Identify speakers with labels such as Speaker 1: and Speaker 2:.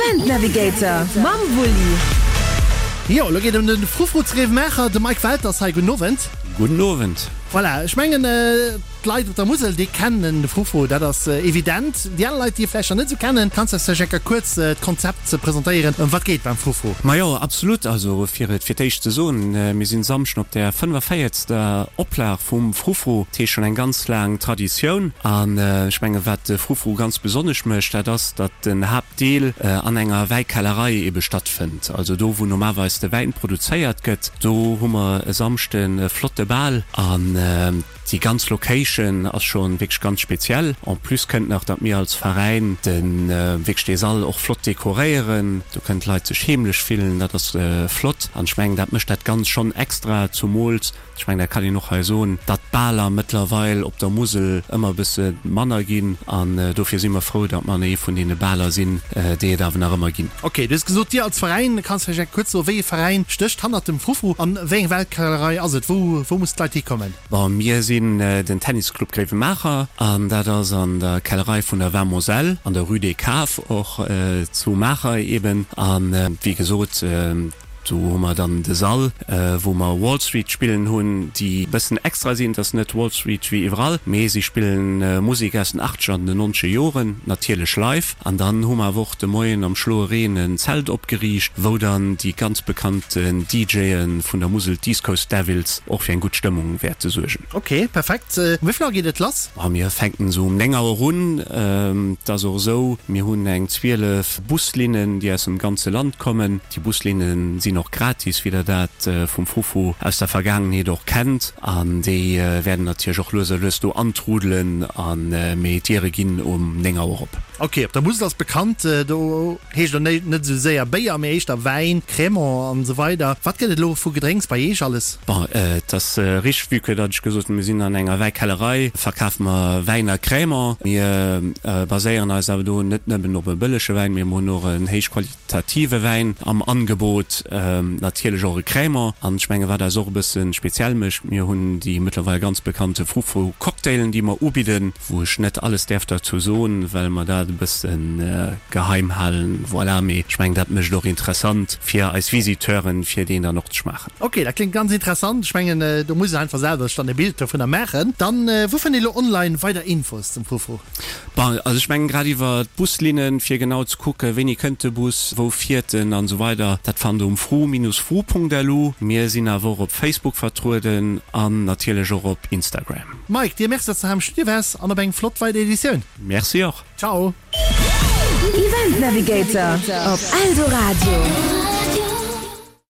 Speaker 1: Event Navigator mam Wulli.
Speaker 2: Jo, elo geet et ëm de Frufru zu Grevenmacher. De Mike Welter ass hei. Gudden Owend.
Speaker 3: Gudden Owend.
Speaker 2: Voilà, ech mengen d'Leit op der Musel, déi kennen de Frufru, dat ass evident. Déi aner Leit, déi e vläicht nach net esou kennen, kanns de eis vläicht eng Kéier kuerz d'Konzept presentéieren, ëm wat geet beim Frufru?
Speaker 3: Majo, absolut. Also fir et fir d'éischt ze soen, mir sinn Samschden op der 45. Oplag vum Frufru, dat heescht schonn eng ganz laang Traditioun. An ech mengen, wat de Frufru ganz besonnesch mécht, dat ass, datt den Haaptdeel an enger Wäikellerei ebe stattfënnt. Also do, wou normalerweis de Wäin produzéiert gëtt, do hu mer e Samschden e flotte Bal. An déi ganz Location ass scho wierklech ganz speziell. En plus kënnt nach, datt mir als Veräin de wierklech dee Sall och flott dekoréieren. Do kënnen d'Leit sech heemlech fillen, dat ass flott. An ech mengen, dat mécht dat Ganzt schonn extra, zumools Ech mengen, dat kann een och hei soen, datt d'Baler mëttlerweil op der Musel ëmmer e bësse manner ginn. An dofir si mer frou, datt mer ee vun deene Baler sinn, déi et awer nach ëmmer ginn.
Speaker 2: Ok, du hues gesot, Dir als Veräin. Kanns vläicht eng kuerz soen, wéi ee Veräin stécht hannert dem Frufru an wéi eng Weltkellerei ass et? Wou, wou mussen d'Leit hikommen?
Speaker 3: Bon, mir sinn den Tennisclub Gréiwemaacher an dat ass an der Kellerei vun der Vin Moselle an der Rue des Caves och zu Maacher eben. An wéi gesot, Do hu mer dann de Sall, wou mer Wall Street spillen hunn, déi e bëssen extra sinn. Et ass net Wall Street wéi iwwerall, mee si spillen Musek aus den achtzeger an den nonzeger Joren, natierlech live. An dann hu mer awer och de Moien am schloe Reen en Zelt opgeriicht, wou dann déi ganz bekannten DJe vun der Musel, d'East Coast Devils, och fir eng gutt Stëmmung wäerte suergen.
Speaker 2: Ok, perfekt. Um wéi vill Auer geet et lass?
Speaker 3: Ma mir fänken esou um 9 Auer un. Et ass och esou, mir hunn eng 12 Buslinnen, déi aus dem ganze Land kommen. Déi Buslinne sinn och gratis, wéi der dat vum Frufru aus der Vergaangenheet och kennt. An déi wäerten natierlech och lues a lues do antrudelen. A mee d'Diere ginn um 9 Auer op.
Speaker 2: Ok, op der Musel ass bekannt, do heescht et net esou séier Béier, mee éischter Wäin, Crémant an esou weider. Wat gëtt et elo vu Gedrénks bei Iech alles?
Speaker 3: Bon, et ass richteg, vue que datt ech gesot hunn, mir sinn an enger Wäikellerei, verkafe mer Wäin a Crémant. Mir baséieren eis awer do net nëmmen op e bëllege Wäin, mee mir hunn och en héichqualitative. Qualitative Wäin am Angebot, natierlech och e Crémant. An ech menge wat eis och e bësse speziell mécht, mir hunn déi mëttlerweil ganz bekannte Frufru Cocktailen, déi mer ubidden, wou ech net alles däerf derzou soen, well mer dat e bësse geheim halen. Voilà, mee ech mengen dat mécht et och interessant fir eis Visiteuren, fir deen dann och ze schmaachen.
Speaker 2: Ok, dat kléngt ganz interessant. Ech mengen do muss een einfach selwer sech dann e Bild dovunner maachen. Dann, wou fënnt ee lo online weider Infos zum Frufru?
Speaker 3: Bon, also ech mengen grad iwwer d'Buslinnen, fir genau ze kucken, wéini kënnt de Bus, wou fiert en an esou weider, dat fannt der um fru-fru.lu. Mir sinn awer och op Facebook vertrueden an natierlech och op Instagram.
Speaker 2: Mike, dir Merci, dass de hei am Studio waars an op eng flott weider Editioun.
Speaker 3: Merci och.
Speaker 2: Ciao.
Speaker 1: Event Navigator op Eldoradio.